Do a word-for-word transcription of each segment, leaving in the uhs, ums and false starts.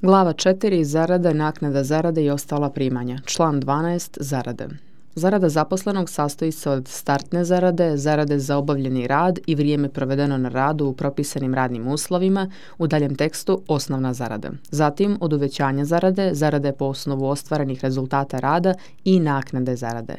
Glava četiri. Zarada, naknada zarade i ostala primanja. Član dvanaest. Zarade. Zarada zaposlenog sastoji se od startne zarade, zarade za obavljeni rad i vrijeme provedeno na radu u propisanim radnim uslovima, u daljem tekstu osnovna zarada. Zatim od uvećanja zarade, zarade po osnovu ostvarenih rezultata rada i naknade zarade.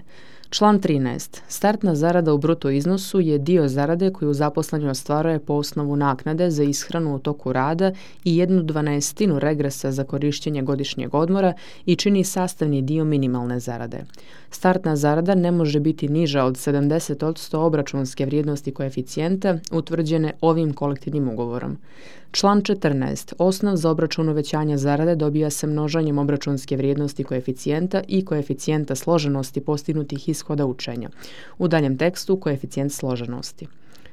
Član trinaest. Startna zarada u bruto iznosu je dio zarade koju zaposleni ostvaruje po osnovu naknade za ishranu u toku rada i jednu dvanaestinu regresa za korištenje godišnjeg odmora i čini sastavni dio minimalne zarade. Startna zarada ne može biti niža od sedamdeset posto obračunske vrijednosti koeficijenta utvrđene ovim kolektivnim ugovorom. Član četrnaest. Osnov za obračun uvećanja zarade dobija se množenjem obračunske vrijednosti koeficijenta i koeficijenta složenosti postignutih ishoda učenja. U daljem tekstu koeficijent složenosti.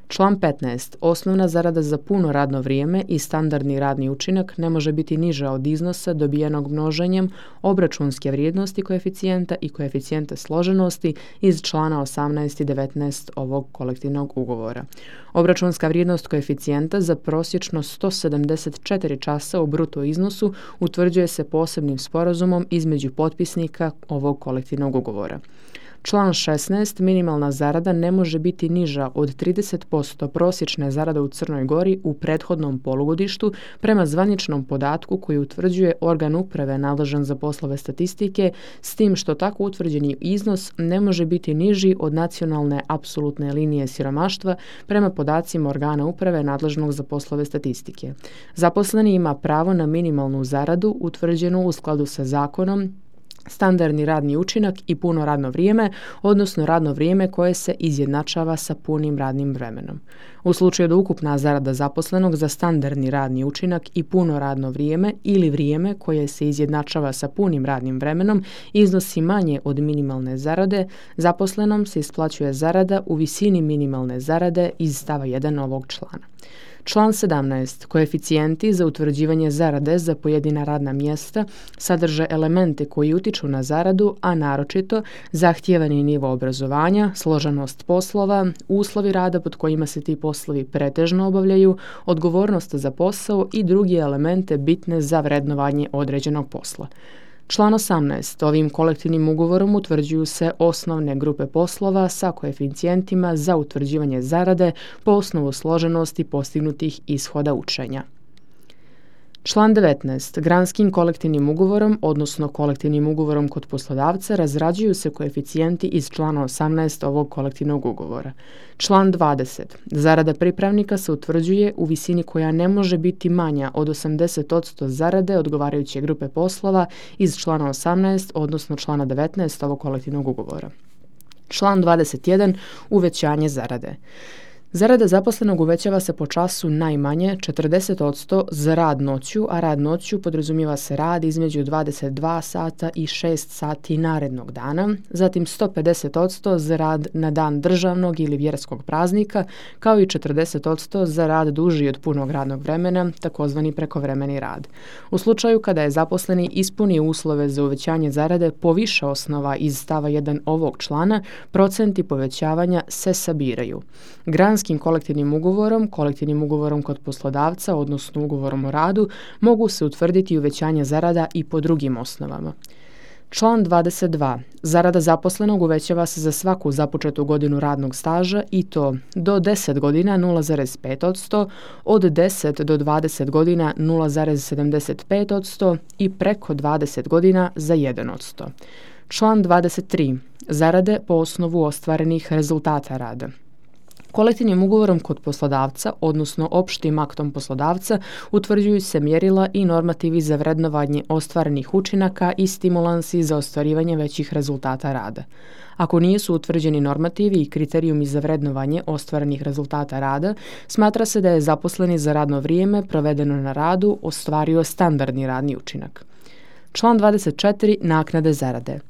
Član petnaest. Osnovna zarada za puno radno vrijeme i standardni radni učinak ne može biti niža od iznosa dobijenog množenjem obračunske vrijednosti koeficijenta i koeficijenta složenosti iz člana osamnaest i devetnaest ovog kolektivnog ugovora. Obračunska vrijednost koeficijenta za prosječno sto sedamdeset četiri časa u bruto iznosu utvrđuje se posebnim sporazumom između potpisnika ovog kolektivnog ugovora. Član šesnaest. Minimalna zarada ne može biti niža od trideset posto prosječne zarade u Crnoj Gori u prethodnom polugodištu prema zvaničnom podatku koji utvrđuje organ uprave nadležan za poslove statistike, s tim što tako utvrđeni iznos ne može biti niži od nacionalne apsolutne linije siromaštva prema podacima organa uprave nadležnog za poslove statistike. Zaposleni ima pravo na minimalnu zaradu utvrđenu u skladu sa zakonom, standardni radni učinak i puno radno vrijeme, odnosno radno vrijeme koje se izjednačava sa punim radnim vremenom. U slučaju da ukupna zarada zaposlenog za standardni radni učinak i puno radno vrijeme ili vrijeme koje se izjednačava sa punim radnim vremenom iznosi manje od minimalne zarade, zaposlenom se isplaćuje zarada u visini minimalne zarade iz stava jedan ovog člana. Član sedamnaest. Koeficijenti za utvrđivanje zarade za pojedina radna mjesta sadrže elemente koji utiču na zaradu, a naročito zahtijevani nivo obrazovanja, složenost poslova, uslovi rada pod kojima se ti poslovi pretežno obavljaju, odgovornost za posao i drugi elemente bitne za vrednovanje određenog posla. Član osamnaest. Ovim kolektivnim ugovorom utvrđuju se osnovne grupe poslova sa koeficijentima za utvrđivanje zarade po osnovu složenosti postignutih ishoda učenja. Član devetnaest. Granskim kolektivnim ugovorom, odnosno kolektivnim ugovorom kod poslodavca, razrađuju se koeficijenti iz člana osamnaest ovog kolektivnog ugovora. Član dvadeset. Zarada pripravnika se utvrđuje u visini koja ne može biti manja od osamdeset posto zarade odgovarajuće grupe poslova iz člana osamnaest, odnosno člana devetnaest ovog kolektivnog ugovora. Član dvadeset jedan. Uvećanje zarade. Zarada zaposlenog uvećava se po času najmanje četrdeset posto za rad noću, a rad noću podrazumijeva se rad između dvadeset dva sata i šest sati narednog dana, zatim sto pedeset posto za rad na dan državnog ili vjerskog praznika, kao i četrdeset posto za rad duži od punog radnog vremena, takozvani prekovremeni rad. U slučaju kada je zaposleni ispunio uslove za uvećanje zarade po više osnova iz stava jedan ovog člana, procenti povećavanja se sabiraju. Granskim kolektivnim ugovorom, kolektivnim ugovorom kod poslodavca, odnosno ugovorom o radu, mogu se utvrditi uvećanje zarada i po drugim osnovama. Član dvadeset dva. Zarada zaposlenog uvećava se za svaku započetu godinu radnog staža i to do deset godina nula zarez pet posto, od deset do dvadeset godina nula zarez sedamdeset pet posto i preko dvadeset godina za jedan posto. Član dvadeset tri. Zarade po osnovu ostvarenih rezultata rada. Kolektivnim ugovorom kod poslodavca, odnosno opštim aktom poslodavca, utvrđuju se mjerila i normativi za vrednovanje ostvarenih učinaka i stimulansi za ostvarivanje većih rezultata rada. Ako nisu utvrđeni normativi i kriterijumi za vrednovanje ostvarenih rezultata rada, smatra se da je zaposleni za radno vrijeme provedeno na radu ostvario standardni radni učinak. Član dvadeset četiri. Naknade zarade.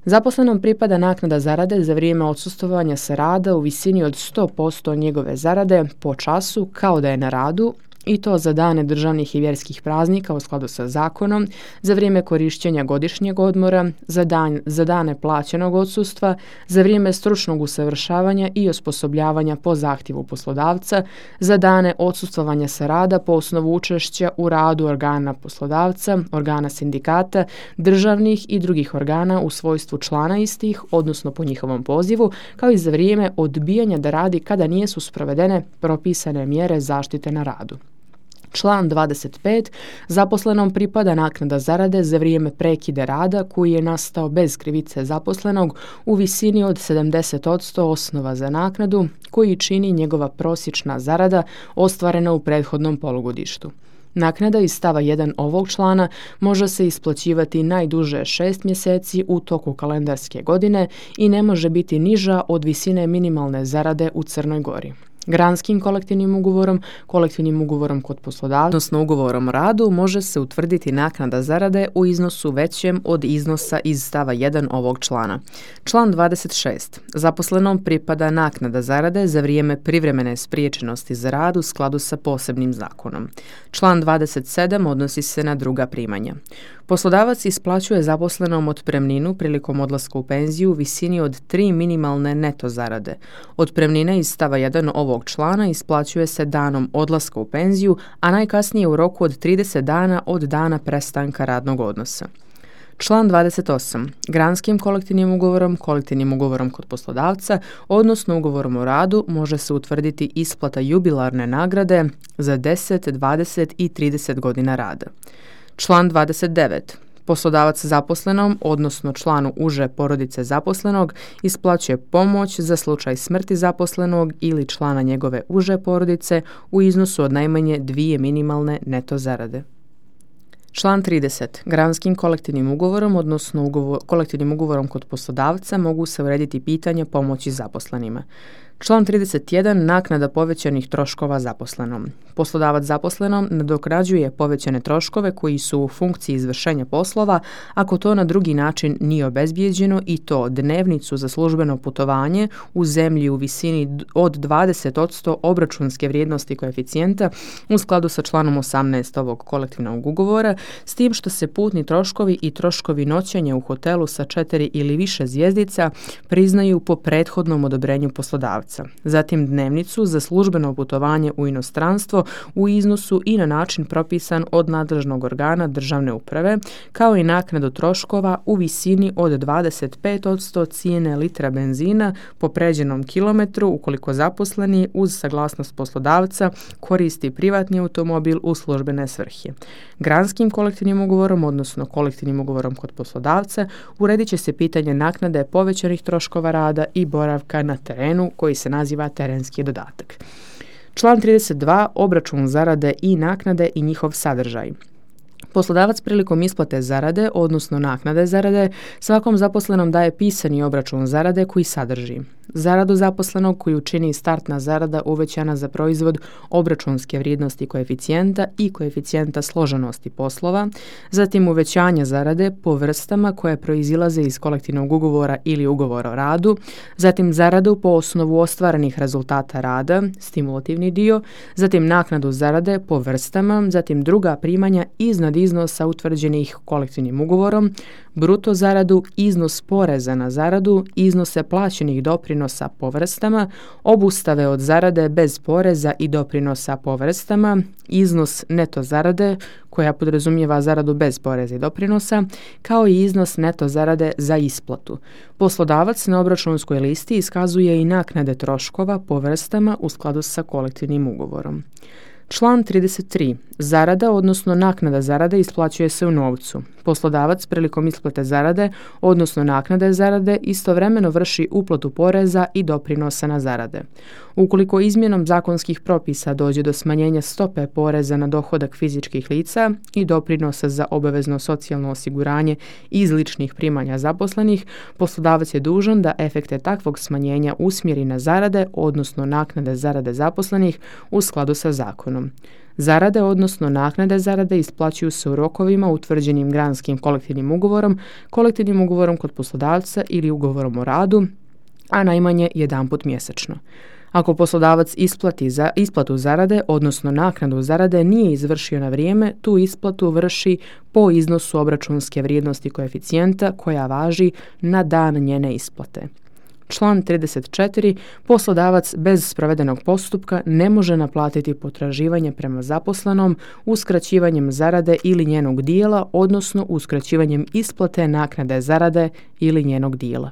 Zaposlenom pripada naknada zarade za vrijeme odsustvovanja sa rada u visini od sto posto njegove zarade po času kao da je na radu i to za dane državnih i vjerskih praznika u skladu sa zakonom, za vrijeme korištenja godišnjeg odmora, za, dan, za dane plaćenog odsustva, za vrijeme stručnog usavršavanja i osposobljavanja po zahtjevu poslodavca, za dane odsustvovanja sa rada po osnovu učešća u radu organa poslodavca, organa sindikata, državnih i drugih organa u svojstvu člana istih, odnosno po njihovom pozivu, kao i za vrijeme odbijanja da radi kada nisu sprovedene propisane mjere zaštite na radu. Član dvadeset pet. Zaposlenom pripada naknada zarade za vrijeme prekida rada koji je nastao bez krivice zaposlenog u visini od sedamdeset posto osnova za naknadu koji čini njegova prosječna zarada ostvarena u prethodnom polugodištu. Naknada iz stava jedan ovog člana može se isplaćivati najduže šest mjeseci u toku kalendarske godine i ne može biti niža od visine minimalne zarade u Crnoj Gori. Granskim kolektivnim ugovorom, kolektivnim ugovorom kod poslodavca, odnosno ugovorom o radu, može se utvrditi naknada zarade u iznosu većem od iznosa iz stava jedan ovog člana. Član dvadeset šest. Zaposlenom pripada naknada zarade za vrijeme privremene spriječenosti za rad u skladu sa posebnim zakonom. Član dvadeset sedam odnosi se na druga primanja. Poslodavac isplaćuje zaposlenom otpremninu prilikom odlaska u penziju u visini od tri minimalne neto zarade. Otpremnina iz stava jedan ovog člana isplaćuje se danom odlaska u penziju, a najkasnije u roku od trideset dana od dana prestanka radnog odnosa. Član dvadeset osam. Granskim kolektivnim ugovorom, kolektivnim ugovorom kod poslodavca, odnosno ugovorom o radu, može se utvrditi isplata jubilarne nagrade za deset, dvadeset i trideset godina rada. Član dvadeset devet. Poslodavac zaposlenom, odnosno članu uže porodice zaposlenog, isplaćuje pomoć za slučaj smrti zaposlenog ili člana njegove uže porodice u iznosu od najmanje dvije minimalne neto zarade. Član trideset. Granskim kolektivnim ugovorom, odnosno ugovor, kolektivnim ugovorom kod poslodavca mogu se urediti pitanja pomoći zaposlenima. Član trideset jedan. Naknada povećanih troškova zaposlenom. Poslodavac zaposlenom nadoknađuje povećane troškove koji su u funkciji izvršenja poslova ako to na drugi način nije obezbijeđeno, i to dnevnicu za službeno putovanje u zemlji u visini od dvadeset posto obračunske vrijednosti koeficijenta u skladu sa članom osamnaest ovog kolektivnog ugovora, s tim što se putni troškovi i troškovi noćenja u hotelu sa četiri ili više zvjezdica priznaju po prethodnom odobrenju poslodavca. Zatim dnevnicu za službeno putovanje u inostranstvo u iznosu i na način propisan od nadležnog organa državne uprave, kao i naknadu troškova u visini od dvadeset pet posto cijene litra benzina po pređenom kilometru ukoliko zaposleni uz saglasnost poslodavca koristi privatni automobil u službene svrhe. Granskim kolektivnim ugovorom, odnosno kolektivnim ugovorom kod poslodavca, uredit će se pitanje naknade povećanih troškova rada i boravka na terenu koji se naziva terenski dodatak. Član trideset dva. Obračun zarade i naknade i njihov sadržaj. Poslodavac prilikom isplate zarade, odnosno naknade zarade, svakom zaposlenom daje pisani obračun zarade koji sadrži zaradu zaposlenog koju čini startna zarada uvećana za proizvod obračunske vrijednosti koeficijenta i koeficijenta složenosti poslova, zatim uvećanje zarade po vrstama koje proizilaze iz kolektivnog ugovora ili ugovora o radu, zatim zaradu po osnovu ostvarenih rezultata rada, stimulativni dio, zatim naknadu zarade po vrstama, zatim druga primanja iznad iznosa utvrđenih kolektivnim ugovorom, bruto zaradu, iznos poreza na zaradu, iznose plaćenih doprinosa po vrstama, obustave od zarade bez poreza i doprinosa po vrstama, iznos neto zarade koja podrazumijeva zaradu bez poreza i doprinosa, kao i iznos neto zarade za isplatu. Poslodavac na obračunskoj listi iskazuje i naknade troškova po vrstama u skladu sa kolektivnim ugovorom. Član trideset tri. Zarada, odnosno naknada zarade, isplaćuje se u novcu. Poslodavac prilikom isplate zarade, odnosno naknade zarade, istovremeno vrši uplatu poreza i doprinosa na zarade. Ukoliko izmjenom zakonskih propisa dođe do smanjenja stope poreza na dohodak fizičkih lica i doprinosa za obavezno socijalno osiguranje iz ličnih primanja zaposlenih, poslodavac je dužan da efekte takvog smanjenja usmjeri na zarade, odnosno naknade zarade zaposlenih u skladu sa zakonom. Zarade, odnosno naknade zarade, isplaćuju se u rokovima utvrđenim granskim kolektivnim ugovorom, kolektivnim ugovorom kod poslodavca ili ugovorom o radu, a najmanje jedanput mjesečno. Ako poslodavac isplati za isplatu zarade, odnosno naknadu zarade, nije izvršio na vrijeme, tu isplatu vrši po iznosu obračunske vrijednosti koeficijenta koja važi na dan njene isplate. Član trideset četiri. Poslodavac bez sprovedenog postupka ne može naplatiti potraživanje prema zaposlenom uskraćivanjem zarade ili njenog dijela, odnosno uskraćivanjem isplate naknade zarade ili njenog dijela.